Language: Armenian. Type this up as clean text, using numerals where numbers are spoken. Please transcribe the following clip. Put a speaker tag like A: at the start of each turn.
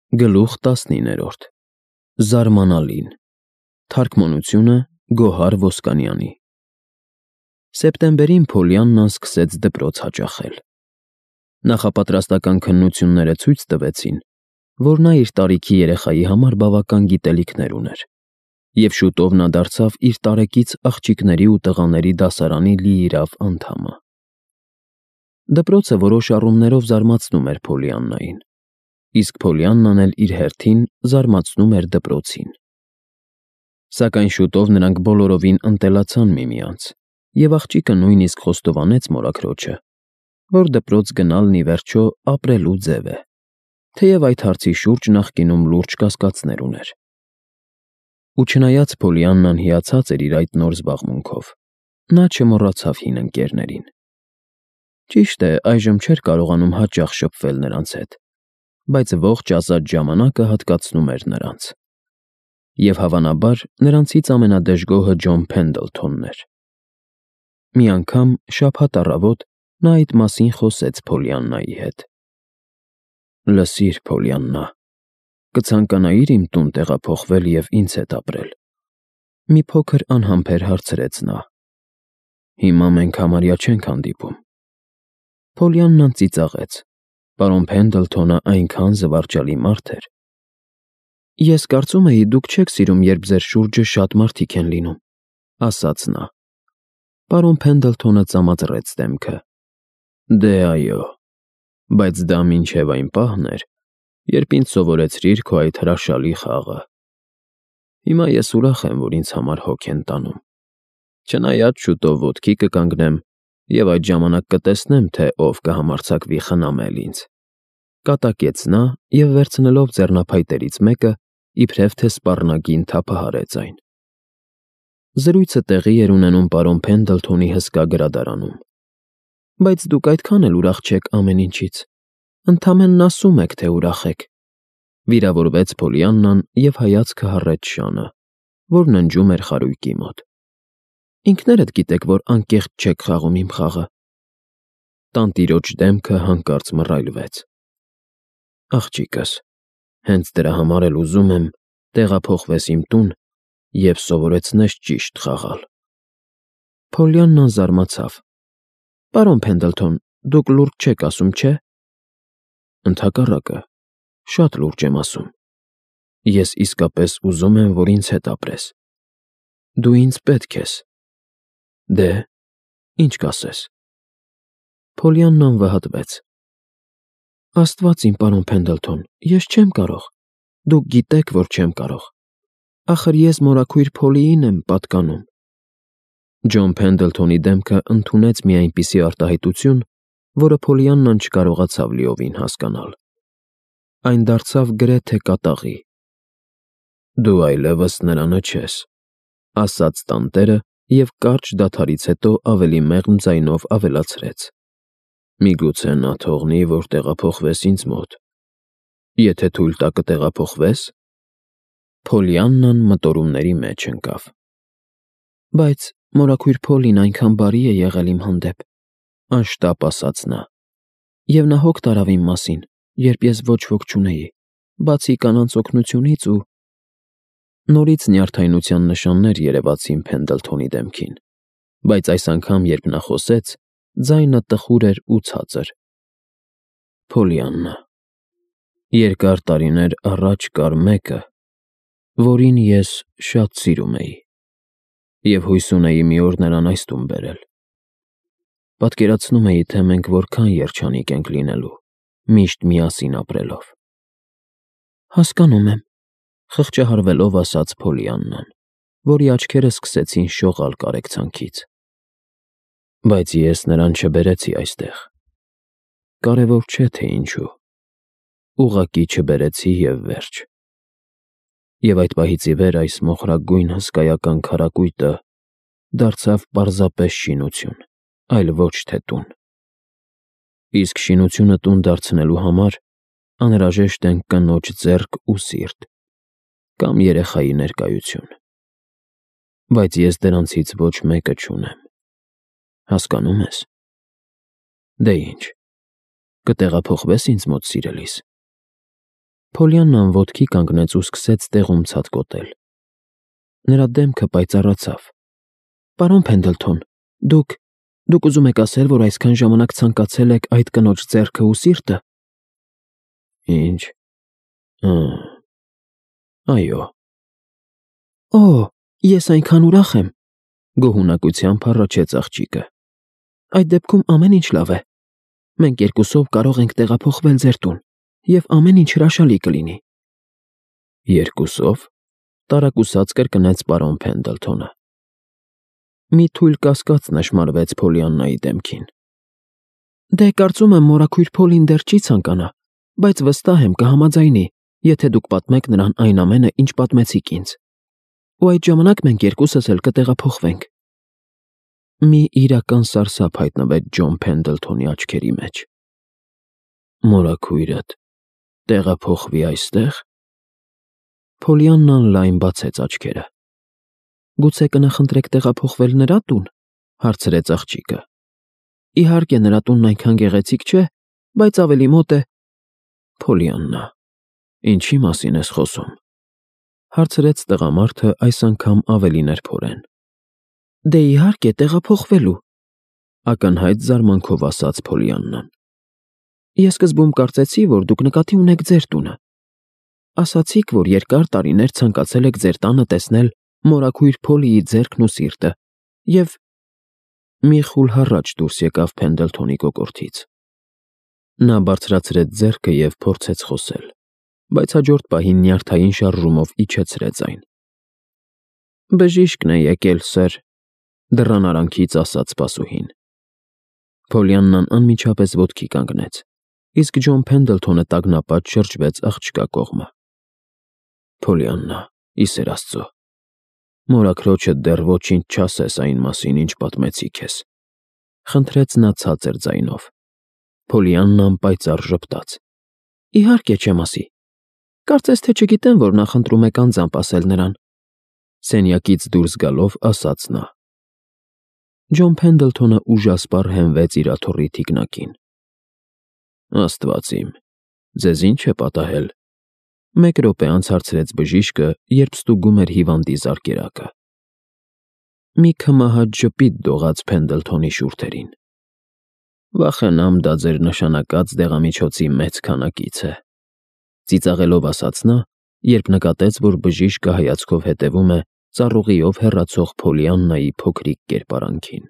A: Գլուխ 19 Զարմանալին Թարգմանությունը Գոհար Ոսկանյանի Սեպտեմբերին Փոլիաննան սկսեց դպրոց հաճախել։ Նախապատրաստական քննությունները ցույց տվեցին, որ նա իր տարիքի երեխայի համար բավական գիտելիքներ ուներ, և շուտով նա դարձավ իր տարեկից աղջիկների ու տղաների դասարանի լիիրավ անդամը։ Դպրոցը որոշ առումներով զարմացնում էր Փոլիաննային, իսկ Փոլիաննան էլ իր հերթին զարմացնում էր դպրոցին։ Սակայն շուտով նրանք բոլորովին ընտելացան միմյանց, և աղջիկը նույնիսկ խոստովանեց մորաքրոջը, որ դպրոց գնալն ի վերջո ապրելու ձև է, թեև այդ հարցի շուրջ նախկինում լուրջ կասկածներ ուներ։ Ու չնայած Փոլիաննան հիացած էր իր այդ նոր զբաղմունքով, նա չմոռացավ հին ընկերներին։ Ճիշտ է, այժմ չէր կարողանում հաճախ շփվել նրանց հետ, բայց ողջ ազատ ժամանակը հատկացնում էր նրանց։ Եվ հավանաբար նրանցից ամենադժգոհը Ջոն Փենդլթոնն էր։ Մի անգամ շաբաթ առավոտ նա այդ մասին խոսեց Փոլիաննայի հետ։ «Լսիր, Փոլիաննա, կցանկանայի՞ր իմ տուն տեղափոխվել և ինձ հետ ապրել»։ Մի փոքր անհամբեր հարցրեց նա։ «Հիմա մենք համարյա չենք հանդիպում»։ Փոլիաննան ծիծաղեց։ Պարոն Փենդլթոնը այնքան զվարճալի մարդ էր։ «Ես կարծում էի, դուք չեք սիրում, երբ ձեր շուրջը շատ մարդիկ են լինում», ասաց նա։ Պարոն Փենդլթոնը ծամածռեց դեմքը։ «Դե այո, բայց դա մինչև այն պահն էր, երբ ինձ սովորեցրիր քո այդ հրաշալի խաղը։ Հիմա ես ուրախ եմ, որ ինձ համար հոգ են տանում։ Չնայած շուտով ոտքի կկանգնեմ և այդ ժամանակ կտեսնեմ, թե ով կհամարձակվի խնամել ինձ», կատակեց նա և վերցնելով ձեռնափայտերից մեկը, իբրև թե սպառնագին թափահարեց այն։ Զրույցը տեղի էր ունենում պարոն Փենդլթոնի հսկա գրադարանում։ «Բայց դուք այդքան էլ ուրախ չեք ամեն ինչից, ընդամենն ասում եք, թե ուրախ եք», վիրավորվեց Փոլիաննան և հայացքը հառեց շանը, որ ննջում էր խարույկի մոտ։ «Ինքներդ գիտեք, որ անկեղծ չեք խաղում իմ խաղը»։ Տանտիրոջ դեմքը հանկարծ մռայլվեց։ «Աղջիկս, հենց դրա համար էլ ուզում եմ տեղափոխվես իմ տուն և սովորեցնես ճիշտ խաղալ»։ Փոլիաննան զարմացավ։ «Պարոն Փենդլթոն, դուք լուրջ չեք ասում, չէ՞։ Ընդհակառակը, շատ լուրջ եմ ասում։ Ես իսկապես ուզում եմ, որ ինձ հետ ապրես։ Դու ինձ պետք ես։ Դե, ինչ կասես»։ Փոլիաննան վհատվեց։ «Աստված իմ, պարոն Փենդլթոն, ես չեմ կարող։ Դուք գիտեք, որ չեմ կարող։ Ախր ես մորաքույր Փոլիին եմ պատկանում»։ Ջոն Փենդլթոնի դեմքը ընդունեց մի այնպիսի արտահայտություն, որը Փոլիաննան չկարողացավ լիովին հասկանալ։ Այն դարձավ գրեթե կատաղի։ «Դու այլևս նրանը չես», ասաց տանտերը և կարճ դադարից հետո ավելի մեղմ ձայնով ավելացրեց։ «Միգուցե նա թողնի, որ տեղափոխվես ինձ մոտ։ Եթե թույլ տա, կտեղափոխվե՞ս»։ Փոլիաննան մտորումների մեջ ընկավ։ «Բայց մորաքույր Փոլին այնքան բարի է եղել իմ հանդեպ», անշտապ ասաց նա։ «Եվ նա հոգ տարավ իմ մասին, երբ ես ոչ ոք չունեի, բացի կանանց օգնությունից ու…»։ Նորից նյարդայնության նշաններ երևացին Փենդլթոնի դեմքին, բայց այս անգամ, երբ նա խոսեց, ձայնը տխուր էր ու ցածր։ «Փոլիաննա, երկար տարիներ առաջ կար մեկը, որին ես շատ սիրում էի, և հույս ունեի մի օր նրան այս տուն բերել։ Պատկերացնում էի, թե մենք որքան երջանիկ ենք լինելու, միշտ միասին ապրելով»։ «Հասկանում եմ», խղճահարվելով ասաց Փոլիաննան, որի աչքերը սկսեցին շողալ կարեկցանքից։ «Բայց ես նրան չբերեցի այստեղ։ Կարևոր չէ, թե ինչու։ Ուղղակի չբերեցի և վերջ։ Եվ այդ պահից ի վեր այս մոխրագույն հսկայական քարակույտը դարձավ պարզապես շինություն, այլ ոչ թե տուն։ Իսկ շինությունը տուն դարձնելու համար անհրաժեշտ են կնոջ ձեռք ու սիրտ, կամ երեխայի ներկայություն։ Բայց ես դրանցից ոչ մեկը չունեմ։ Հասկանո՞ւմ ես։ Դե ինչ, կտեղափոխվե՞ս ինձ մոտ, սիրելիս»։ Փոլիաննան ոտքի կանգնեց ու սկսեց տեղում ցատկոտել։ Նրա դեմքը պայծառացավ։ Պարոն Փենդլթոն, դուք ուզում եք ասել, որ այսքան ժամանակ ցանկացել եք այդ կնոջ ձեռքը ու սիրտը։ Ինչ։ Այո։ Օ, ես այնքան ուրախ եմ, գոհունակությամբ հառաչեց աղջիկը։ Այդ դեպքում ամեն ինչ լավ է։ Մենք երկուսով կարող ենք տեղափոխվել ձեր տուն, եւ ամեն ինչ հրաշալի կլինի։ Երկուսով, տարակուսած կրկնեց պարոն Փենդլթոնը։ Մի թույլ կասկած նշմարվեց Փոլիաննայի դեմքին։ Դե կարծում եմ մորաքույր Փոլին դեռ չի ցանկանա, բայց վստահ եմ կհամաձայնի, եթե դուք պատմեք նրան այն ամենը, ինչ պատմեցիք ինձ։ Ու այդ ժամանակ մենք երկուսս էլ կտեղափոխվենք։ Մի իրական սարսափ հայտնվեց Ջոն Փենդլթոնի աչքերի մեջ։ Մորաքույրդ տեղափոխվի այստեղ։ Փոլիաննան լայն բացեց աչքերը։ Գուցե կնախընտրեք տեղափոխվել նրա տուն, հարցրեց աղջիկը։ Իհարկե նրա տունն այնքան գեղեցիկ չէ, բայց ավելի մոտ է։ Փոլիաննա, ինչի մասին ես խոսում, հարցրեց տղամարդը այս անգամ ավելի նրբորեն։ Դե իհարկե տեղափոխվելու, ակնհայտ զարմանքով ասաց Փոլիաննան։ Ես սկզբում կարծեցի, որ դուք նկատի ունեք ձեր տունը։ Ասացիք, որ երկար տարիներ ցանկացել եք ձեր տանը տեսնել մորաքույր Փոլիի ձեռքն ու սիրտը, եւ մի խուլ հառաչ դուրս եկավ Փենդլթոնի կոկորդից։ Նա բարձրացրեց ձեռքը եւ փորձեց խոսել, բայց հաջորդ պահին նյարդային շարժումով իջեցրեց այն։ Բժիշկն է եկել, սըր, դռան արանքից ասաց սպասուհին։ Փոլիաննան անմիջապես ոտքի կանգնեց, իսկ Ջոն Փենդլթոնը տագնապած շրջվեց աղջկա կողմը։ Փոլիաննա, ի սեր Աստծո, մորաքրոջդ դեռ ոչինչ չասես այն մասին, ինչ պատմեցի քեզ, խնդրեց նա ցածր ձայնով։ Փոլիաննան պայծառ ժպտաց։ Իհարկե չեմ ասի։ Կարծես թե չգիտեմ, որ նախընտրում եք անձամբ ասել նրան։ Սենյակից դուրս գալով ասաց նա։ Ջոն Փենդլթոնը ուժասպառ հենվեց իր աթոռի թիկնակին։ Աստված իմ, ձեզ ինչ է պատահել։ Մեկ րոպե անց հարցրեց բժիշկը, երբ ստուգում էր հիվանդի զարկերակը։ Մի քմահաճ ժպիտ դողաց Փենդլթոնի շուրթերին։ Վախենամ դա ձեր նշանակած դեղամիջոցի մեծ քանակից է, ծիծաղելով ասաց նա, երբ նկատեց, որ բժիշկը հայացքով հետևում է ծառուղիով հեռացող Փոլիաննայի փոքրիկ կերպարանքին։